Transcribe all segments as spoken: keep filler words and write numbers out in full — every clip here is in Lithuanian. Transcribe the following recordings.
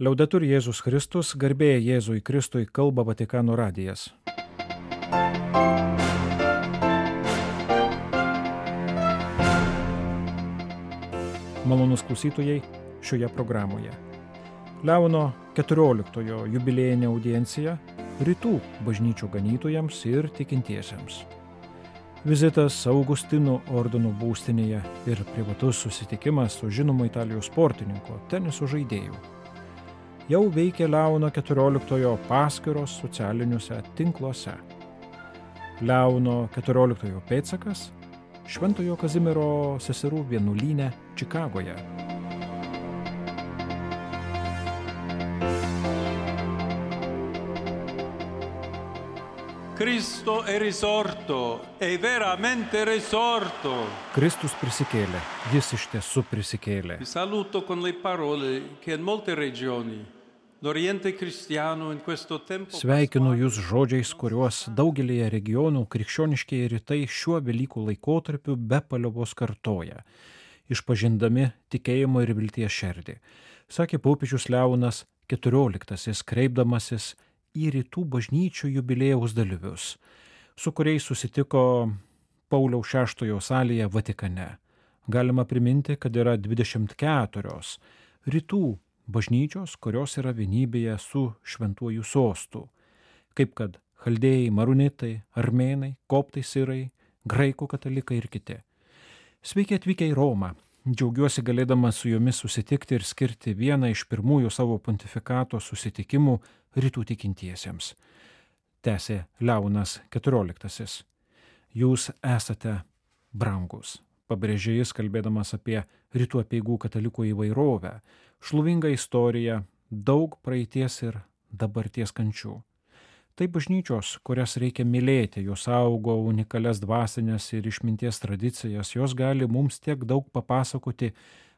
Liaudetur Jėzus Kristus, garbė Jėzui Kristui, kalba Vatikano radijas. Malonūs klausytojai šioje programoje. Leono keturioliktojo jubiliejinė audiencija rytų bažnyčių ganytojams ir tikintiesiems. Vizitas Augustinų ordino būstinėje ir privatus susitikimas su žinomu Italijos sportininku, teniso žaidėju. Jau veikia Leono keturioliktojo paskyros socialiniuose tinkluose. Leono keturioliktojo pėdsakas Šventojo Kazimiero seserų vienuolyne Čikagoje. Cristo è risorto, è veramente risorto. Kristus prisikėlė, jis iš tiesų prisikėlė. Vi saluto con le parole che in molte regioni l'Oriente cristiano in questo tempo. Sveikinu jūs žodžiais, kuriuos daugelėje regionų krikščioniškieji rytai šiuo Velykų laikotarpiu be paliovos kartoja, išpažindami tikėjimo ir vilties šerdį, sakė popiežius Leonas keturioliktasis, kreipdamasis į rytų bažnyčių jubiliejaus dalyvius, su kuriais susitiko Pauliaus šeštojo salėje Vatikane. Galima priminti, kad yra dvidešimt keturios rytų bažnyčios, kurios yra vienybėje su šventuoju sostu, kaip kad chaldėjai, marunitai, armėnai, koptai, sirai, graikų katalikai ir kiti. Sveiki atvykę į Romą. Džiaugiuosi galėdamas su jumis susitikti ir skirti vieną iš pirmųjų savo pontifikato susitikimų rytų tikintiesiems. Tęsė Leonas keturioliktasis. Jūs esate brangus, pabrėžė jis, kalbėdamas apie rytų apeigų katalikų įvairovę, šlovingą istoriją, daug praeities ir dabarties kančių. Tai bažnyčios, kurias reikia mylėti, jos augo unikalias dvasinės ir išminties tradicijas, jos gali mums tiek daug papasakoti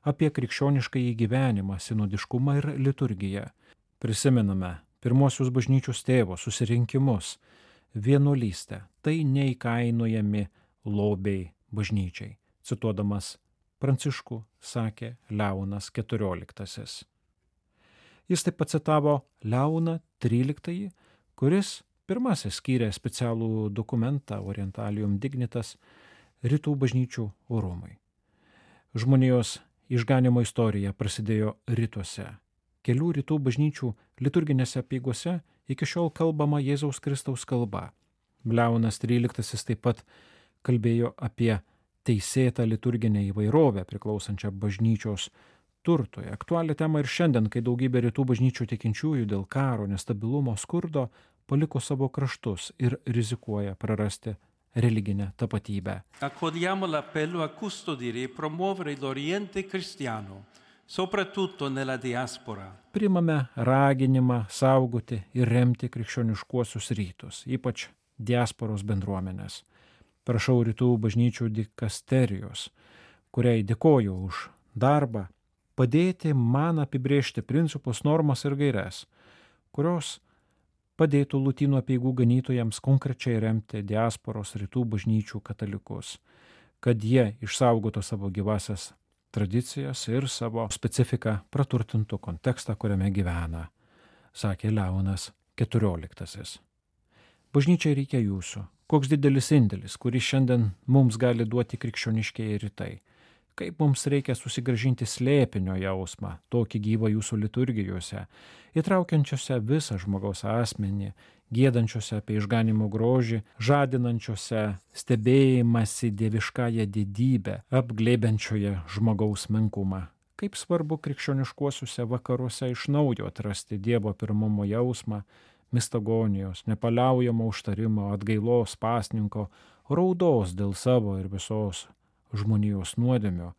apie krikščioniškąjį gyvenimą, sinodiškumą ir liturgiją. Prisimename pirmosius bažnyčios tėvo susirinkimus, vienuolystę, tai neįkainojami lobiai bažnyčiai. Cituodamas Pranciškų, sakė Leonas keturioliktasis. Jis taip pat citavo Leoną tryliktąjį, kuris pirmasis skyrė specialų dokumentą Orientalium Dignitas rytų bažnyčių orumui. Žmonijos išganimo istorija prasidėjo rytuose. Kelių rytų bažnyčių liturginėse apeigose iki šiol kalbama Jėzaus Kristaus kalba. Leonas tryliktasis taip pat kalbėjo apie teisėtą liturginę įvairovę priklausančią bažnyčios turtui. Aktualią temą ir šiandien, kai daugybė rytų bažnyčių tikinčiųjų dėl karo, nestabilumo, skurdo paliko savo kraštus ir rizikuoja prarasti religinę tapatybę. Accogliamo l'appello a custodire e promuovere l'Oriente cristiano, soprattutto nella diaspora. Priimame raginimą saugoti ir remti krikščioniškuosius rytus, ypač diasporos bendruomenės. Prašau rytų bažnyčių dikasterijos, kuriai dėkoju už darbą, padėti man apibrėžti principus, normas ir gaires, kurios padėtų Lotynų apeigų ganytojams konkrečiai remti diasporos rytų bažnyčių katalikus, kad jie išsaugotų savo gyvasias tradicijas ir savo specifiką praturtintų kontekstą, kuriame gyvena, sakė Leonas keturioliktasis. Bažnyčiai reikia jūsų. Koks didelis indėlis, kurį šiandien mums gali duoti krikščioniškieji rytai. Kaip mums reikia susigrąžinti slėpinio jausmą, tokį gyvą jūsų liturgijose, įtraukiančiose visą žmogaus asmenį, giedančiose apie išganimo grožį, žadinančiose stebėjimąsi dieviškąją didybę, apglėbiančioje žmogaus menkumą. Kaip svarbu krikščioniškuosiuose vakaruose iš naujo atrasti Dievo pirmumo jausmą, mistagonijos, nepaliaujamo užtarimo, atgailos pasninko, raudos dėl savo ir visos žmonijos nuodėmio,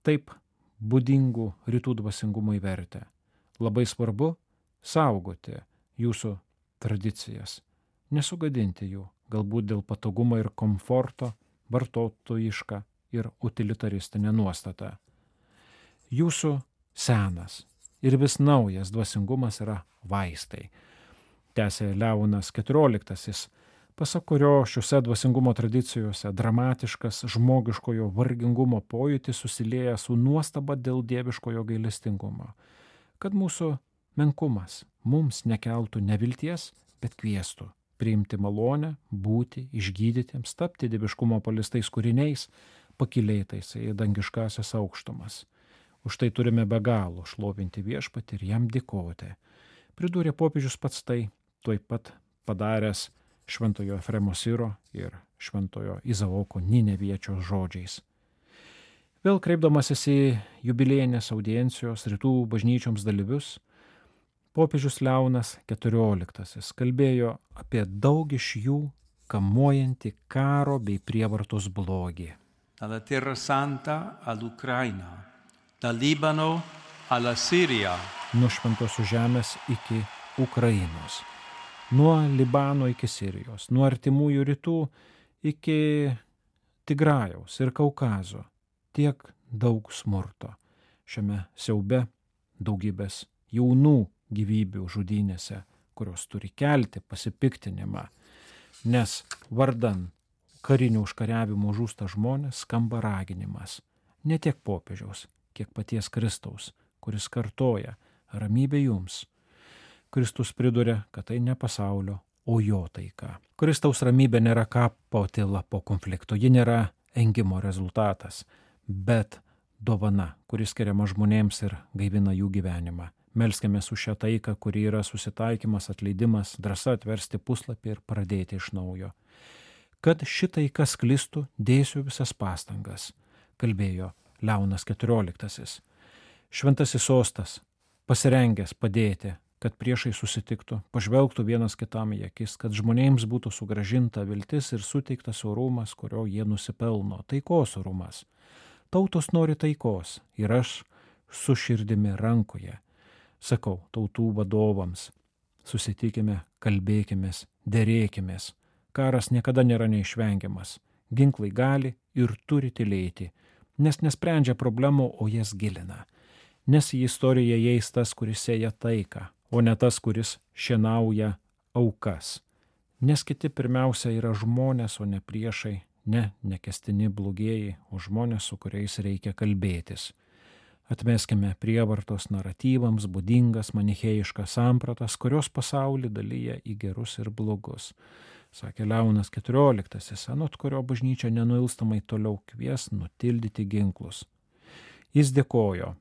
taip būdingų rytų dvasingumui vertę. Labai svarbu saugoti jūsų tradicijas, nesugadinti jų, galbūt dėl patogumo ir komforto, vartotojišką ir utilitaristinę nuostatą. Jūsų senas ir vis naujas dvasingumas yra vaistai. Tęsė Leonas keturioliktasis, pasak kurio šiuose dvasingumo tradicijose dramatiškas žmogiškojo vargingumo pojūtis susilieja su nuostaba dėl dieviškojo gailestingumo, kad mūsų menkumas mums nekeltų nevilties, bet kviestų priimti malonę, būti išgydytiems, tapti dieviškumo palistais kūriniais, pakylėtais į dangiškasias aukštumas. Už tai turime be galo šlovinti viešpatį ir jam dėkoti. Pridūrė popiežius pats tai, tuoj pat padaręs šventojo Efremo Siro ir šventojo Izaoko Nineviečio žodžiais. Vėl kreipdamasis į jubiliejinės audiencijos rytų bažnyčioms dalyvius, popiežius Leonas keturioliktasis kalbėjo apie daug iš jų kamuojantį karo bei prievartos blogį. Dalla Terra Santa all'Ucraina, dal Libano alla Siria. Nuo šventosios žemės iki Ukrainos, nuo Libano iki Sirijos, nuo artimųjų rytų iki Tigrajaus ir Kaukazo. Tiek daug smurto. Šiame siaube daugybės jaunų gyvybių žudynėse, kurios turi kelti pasipiktinimą, nes vardan karinių užkariavimų žūsta žmonės, skamba raginimas. Ne tiek popiežiaus, kiek paties Kristaus, kuris kartoja ramybė jums. Kristus priduria, kad tai ne pasaulio, o jo taika. Kristaus ramybė nėra kapo tyla po konflikto, ji nėra engimo rezultatas, bet dovana, kuris skiriama žmonėms ir gaivina jų gyvenimą. Melskimės už šią taiką, kuri yra susitaikymas, atleidimas, drąsa atversti puslapį ir pradėti iš naujo. Kad ši taika sklistų, dėsiu visas pastangas, kalbėjo Leonas keturioliktasis. Šventasis sostas, pasirengęs padėti, kad priešai susitiktų, pažvelgtų vienas kitam į akis, kad žmonėms būtų sugrąžinta viltis ir suteiktas orumas, kurio jie nusipelno, taikos orumas. Tautos nori taikos ir aš su širdimi rankoje sakau tautų vadovams, susitikime, kalbėkimės, derėkimės. Karas niekada nėra neišvengiamas. Ginklai gali ir turi tylėti, nes nesprendžia problemų, o jas gilina. Nes į istoriją įeis tas, kuris sėja taiką, o ne tas, kuris šienauja aukas. Nes kiti pirmiausia yra žmonės, o ne priešai, ne nekęstini blogieji, o žmonės, su kuriais reikia kalbėtis. Atmeskime prievartos naratyvams būdingas manichėjiškas sampratas, kurios pasaulį dalyja į gerus ir blogus. Sakė Leonas keturioliktasis, anot kurio bažnyčia nenuilstamai toliau kvies nutildyti ginklus. Jis dėkojo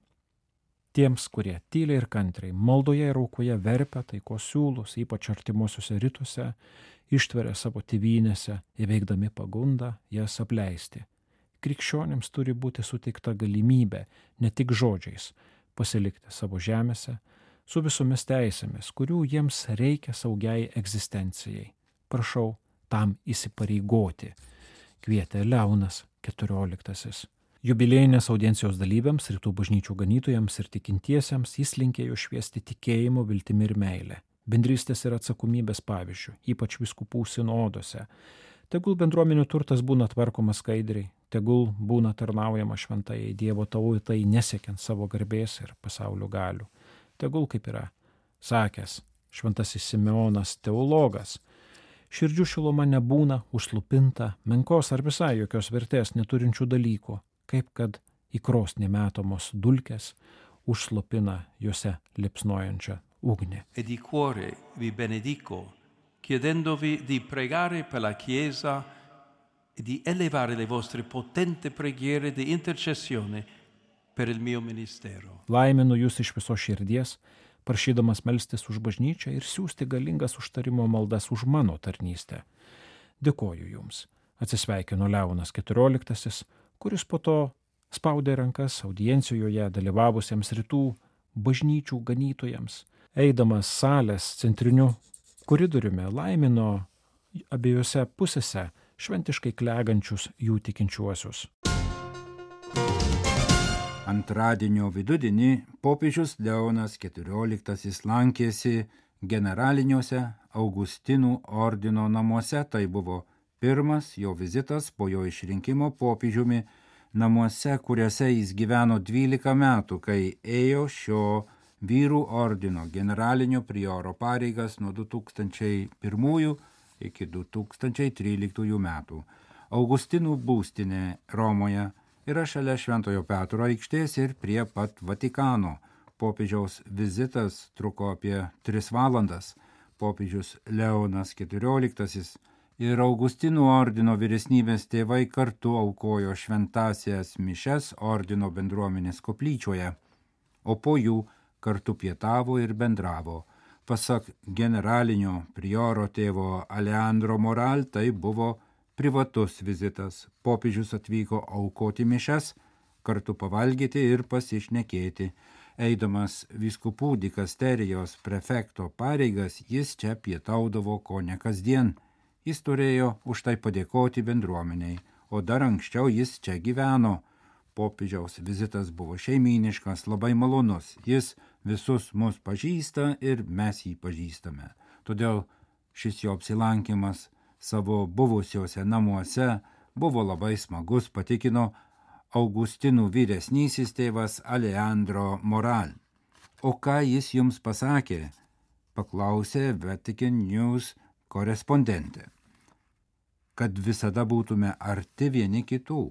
tiems, kurie tyliai ir kantriai, maldoje ir aukoje verpia taikos siūlus, ypač artimuosiuose rytuose, ištveria savo tėvynėse, įveikdami pagundą jas apleisti. Krikščionims turi būti suteikta galimybė, ne tik žodžiais, pasilikti savo žemėse, su visomis teisėmis, kurių jiems reikia saugiai egzistencijai. Prašau tam įsipareigoti, kvietė Leonas keturioliktasis. Jubiliejinės audiencijos dalyviams, rytų bažnyčių ganytojams ir tikintiesiems jis linkėjo šviesti tikėjimo, viltimi ir meilę, bendrystės ir atsakomybės pavyzdžių, ypač vyskupų sinodose. Tegul bendruomenių turtas būna tvarkomas skaidriai, tegul būna tarnaujama šventajai Dievo tautai, nesiekiant savo garbės ir pasaulio galių. Tegul, kaip yra sakęs šventasis Simeonas teologas, širdžių šiluma nebūna užslupinta menkos ar visai jokios vertės neturinčių dalykų, kaip kad į krosnį metamos dulkės užslopina juose lipsnojančią ugnį. E di cuore vi benedico, chiedendovi di pregare per la Chiesa e di elevare le vostre potenti preghiere di intercessione per il mio ministero. Laiminu jūs iš viso širdies, prašydamas melstis už bažnyčią ir siūsti galingas užtarimo maldas už mano tarnystę. Dėkoju jums, atsisveikino Leonas keturioliktasis, kuris po to spaudė rankas audiencijoje dalyvavusiems rytų bažnyčių ganytojams, eidamas salės centriniu koridoriumi laimino abiejose pusėse šventiškai klegančius jų tikinčiuosius. Antradienio vidudienį popiežius Leonas keturioliktasis lankėsi generaliniuose Augustinų ordino namuose. Tai buvo pirmas jo vizitas po jo išrinkimo popiežiumi namuose, kuriuose jis gyveno dvylika metų, kai ėjo šio vyrų ordino generalinio prioro pareigas nuo du tūkstančiai pirmųjų iki du tūkstančiai tryliktųjų metų. Augustinų būstinė Romoje yra šalia Šventojo Petro aikštės ir prie pat Vatikano, popiežiaus vizitas truko apie tris valandas. Popiežius Leonas keturioliktasis ir Augustinų ordino vyresnybės tėvai kartu aukojo šventąsias mišias ordino bendruomenės koplyčioje, o po jų kartu pietavo ir bendravo. Pasak generalinio prioro tėvo Alejandro Moral, tai buvo privatus vizitas. Popiežius atvyko aukoti mišias, kartu pavalgyti ir pasišnekėti. Eidamas vyskupų dikasterijos prefekto pareigas, jis čia pietaudavo ko ne kasdien. Jis turėjo už tai padėkoti bendruomeniai, o dar anksčiau jis čia gyveno. Popiežiaus vizitas buvo šeimyniškas, labai malonus. Jis visus mus pažįsta ir mes jį pažįstame. Todėl šis jo apsilankimas savo buvusiuose namuose buvo labai smagus, patikino Augustinų vyresnysis tėvas Alejandro Moral. O ką jis jums pasakė? Paklausė Vatican News korespondentė. Kad visada būtume arti vieni kitų,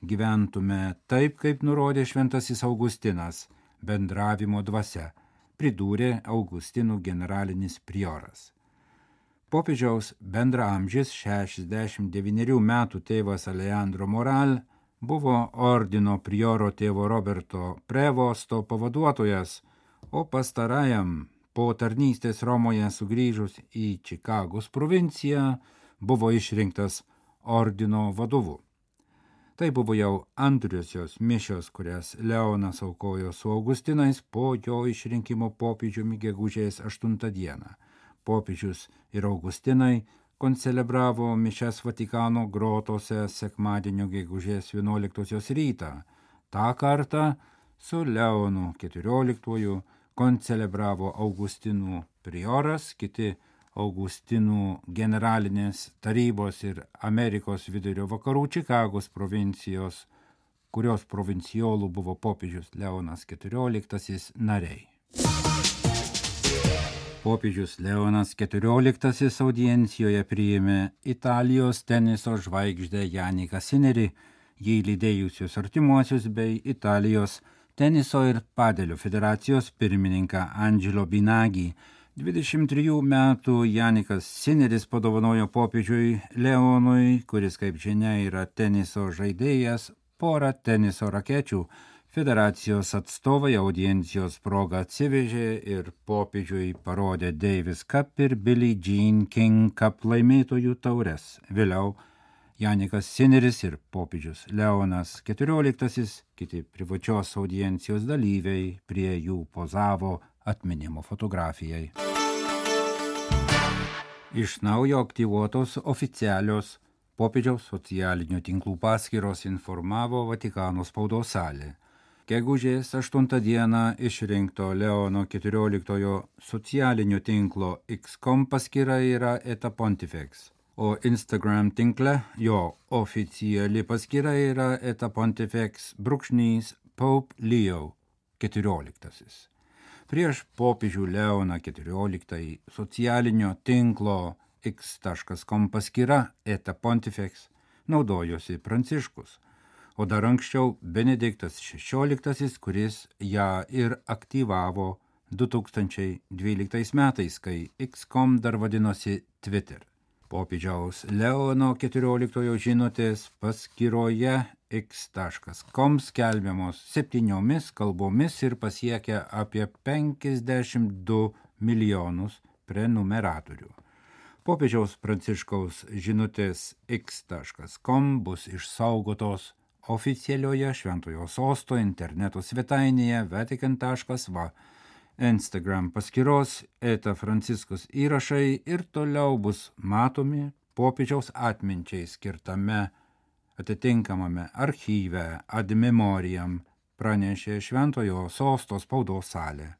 gyventume taip, kaip nurodė šventasis Augustinas, bendravimo dvasia, pridūrė Augustinų generalinis prioras. Popiežiaus bendraamžis šešiasdešimt devynerių metų tėvas Alejandro Moral buvo ordino prioro tėvo Roberto Prevosto pavaduotojas, o pastarajam po tarnystės Romoje sugrįžus į Čikagos provinciją buvo išrinktas ordino vadovu. Tai buvo jau antrosios mišios, kurias Leonas aukojo su Augustinais po jo išrinkimo popiežiumi gegužės aštuntą dieną. Popiežius ir Augustinai koncelebravo mišias Vatikano grotose sekmadienio gegužės vienuoliktosios rytą. Ta kartą su Leonu keturioliktuoju koncelebravo Augustinų prioras, kiti Augustinų generalinės tarybos ir Amerikos vidurio vakarų Čikagos provincijos, kurios provincijolų buvo popiežius Leonas keturioliktasis nariai. Popiežius Leonas keturioliktasis audiencijoje priėmė Italijos teniso žvaigždę Janiką Sinerį, jį lydėjusius artimuosius bei Italijos teniso ir padelio federacijos pirmininką Angelo Binagį. dvidešimt trijų metų Janikas Sineris padovanojo popiežiui Leonui, kuris, kaip žinia, yra teniso žaidėjas, porą teniso rakečių. Federacijos atstovai audiencijos progą atsivežė ir popiežiui parodė Davis Cup ir Billie Jean King Cup laimėtojų taures. Vėliau Janikas Sineris ir popiežius Leonas keturioliktasis, kiti privačios audiencijos dalyviai prie jų pozavo atminimo fotografijai. Iš naujo aktyvuotos oficialios popiežiaus socialinių tinklų paskyros informavo Vatikano spaudos salė. Gegužės aštuntą dieną išrinkto Leono keturioliktojo socialinio tinklo X punkt com paskyra yra Eta Pontifex, o Instagram tinkle jo oficiali paskyra yra Eta Pontifex brūkšnys Pope Leo keturioliktasis. Prieš popiežių Leoną keturioliktąjį socialinio tinklo X punkt com paskyra Eta Pontifex naudojosi Pranciškus, o dar anksčiau Benediktas šešioliktasis, kuris ją ir aktyvavo du tūkstančiai dvyliktais metais, kai X punkt com dar vadinosi Twitter. Popiežiaus Leono keturioliktojo žinutės paskyroje X punkt com skelbiamos septyniomis kalbomis ir pasiekia apie penkiasdešimt du milijonus prenumeratorių. Popiežiaus Pranciškaus žinutės X punkt com bus išsaugotos oficialioje Šventojo Sosto interneto svetainėje vatican taškas va. Instagram paskyros Eta Franciskus įrašai ir toliau bus matomi popiežiaus atminčiai skirtame atitinkamame archyve ad memoriam, pranešė Šventojo Sosto spaudos salė.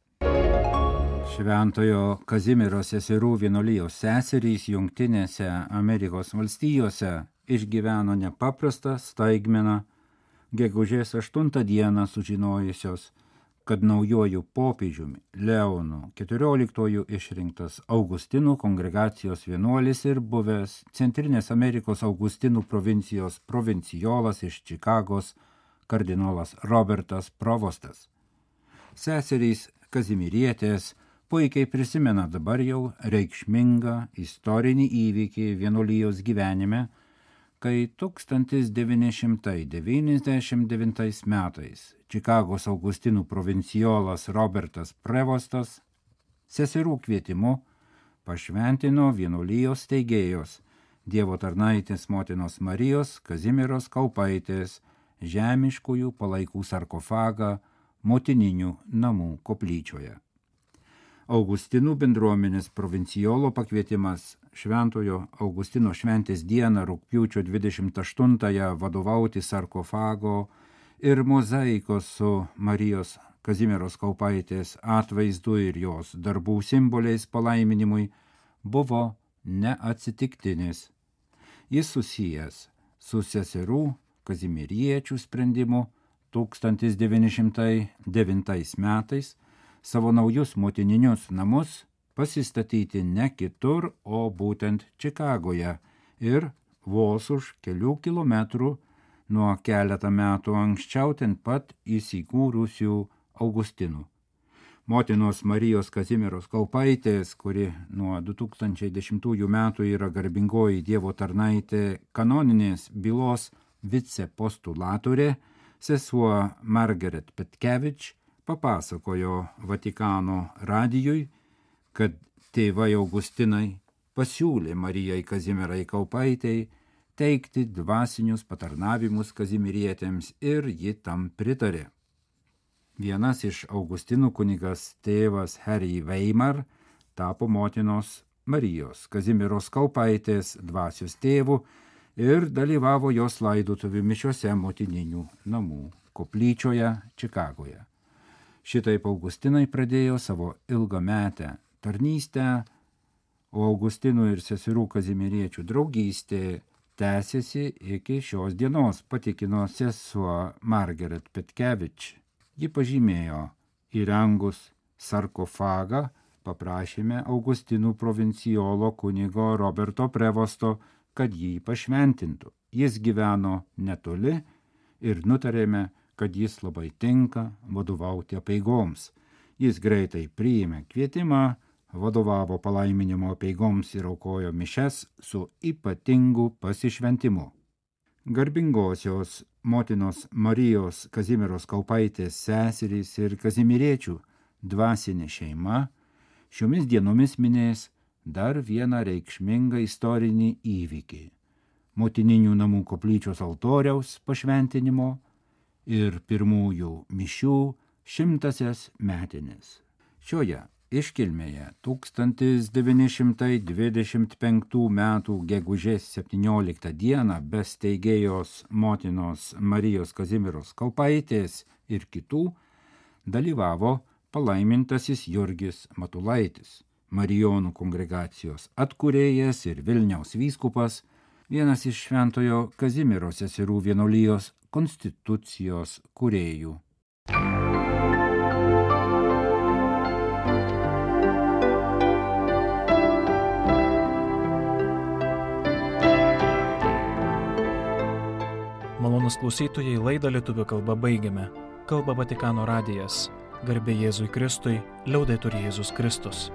Šventojo Kazimiero seserų vienuolijos seserys Jungtinėse Amerikos valstijose išgyveno nepaprastą staigmeną, gegužės aštuntą dieną sužinojusios, kad naujuoju popiežiumi Leonu keturioliktuoju išrinktas Augustinų kongregacijos vienuolis ir buvęs Centrinės Amerikos Augustinų provincijos provincijolas iš Čikagos kardinolas Robertas Provostas. Seserys Kazimierietės puikiai prisimena dabar jau reikšmingą istorinį įvykį vienuolijos gyvenime, kai tūkstantis devyni šimtai devyniasdešimt devintais metais Čikagos Augustinų provincijolas Robertas Prevostas seserų kvietimu pašventino vienuolijos steigėjos Dievo tarnaitės motinos Marijos Kazimieros Kaupaitės žemiškųjų palaikų sarkofagą motininių namų koplyčioje. Augustinų bendruomenės provincijolo pakvietimas Šventojo Augustino šventės dieną rugpjūčio dvidešimt aštuntąją vadovauti sarkofago ir mozaikos su Marijos Kazimieros Kaupaitės atvaizdu ir jos darbų simboliais palaiminimui buvo neatsitiktinis. Jis susijęs su seserų kazimieriečių sprendimu tūkstantis devyni šimtai devintais metais savo naujus motininius namus pasistatyti ne kitur, o būtent Čikagoje ir vos už kelių kilometrų nuo keletą metų anksčiau ten pat įsikūrusių Augustinų. Motinos Marijos Kazimieros Kaupaitės, kuri nuo du tūkstančiai dešimtųjų metų yra garbingoji Dievo tarnaitė kanoninės bylos vicepostulatorė, sesuo Margaret Petkevič papasakojo Vatikano radijui, kad tėvai Augustinai pasiūlė Marijai Kazimierai Kaupaitei teikti dvasinius patarnavimus kazimierietėms ir ji tam pritarė. Vienas iš Augustinų kunigas tėvas Harry Weimar tapo motinos Marijos Kazimieros Kaupaitės dvasios tėvu ir dalyvavo jos laidotuvių mišiose motininių namų koplyčioje Čikagoje. Šitaip Augustinai pradėjo savo ilgametę tarnystę, o Augustinų ir seserų kazimieriečių draugystė tęsiasi iki šios dienos, patikino sesuo Margaret Petkevič. Ji pažymėjo, įrengus sarkofagą paprašėme Augustinų provincijolo kunigo Roberto Prevosto, kad jį pašventintų. Jis gyveno netoli ir nutarėme, kad jis labai tinka vadovauti apeigoms. Jis greitai priėmė kvietimą, vadovavo palaiminimo apeigoms ir aukojo mišes su ypatingu pasišventimu. Garbingosios motinos Marijos Kazimieros Kaupaitės seserys ir kazimieriečių dvasinė šeima šiomis dienomis minės dar vieną reikšmingą istorinį įvykį – motininių namų koplyčios altoriaus pašventinimo ir pirmųjų mišių šimtasias metinės. Šioje iškilmėje tūkstantis devyni šimtai dvidešimt penktų metų gegužės septynioliktą dieną be steigėjos motinos Marijos Kazimieros Kaupaitės ir kitų dalyvavo palaimintasis Jurgis Matulaitis, Marijonų kongregacijos atkūrėjas ir Vilniaus vyskupas, vienas iš Šventojo Kazimiero seserų vienuolijos konstitucijos kūrėjų. Malonūs klausytojai, laidą lietuvių kalba baigiame. Kalba Vatikano radijas. Garbė Jėzui Kristui, liaudetur Jėzus Kristus.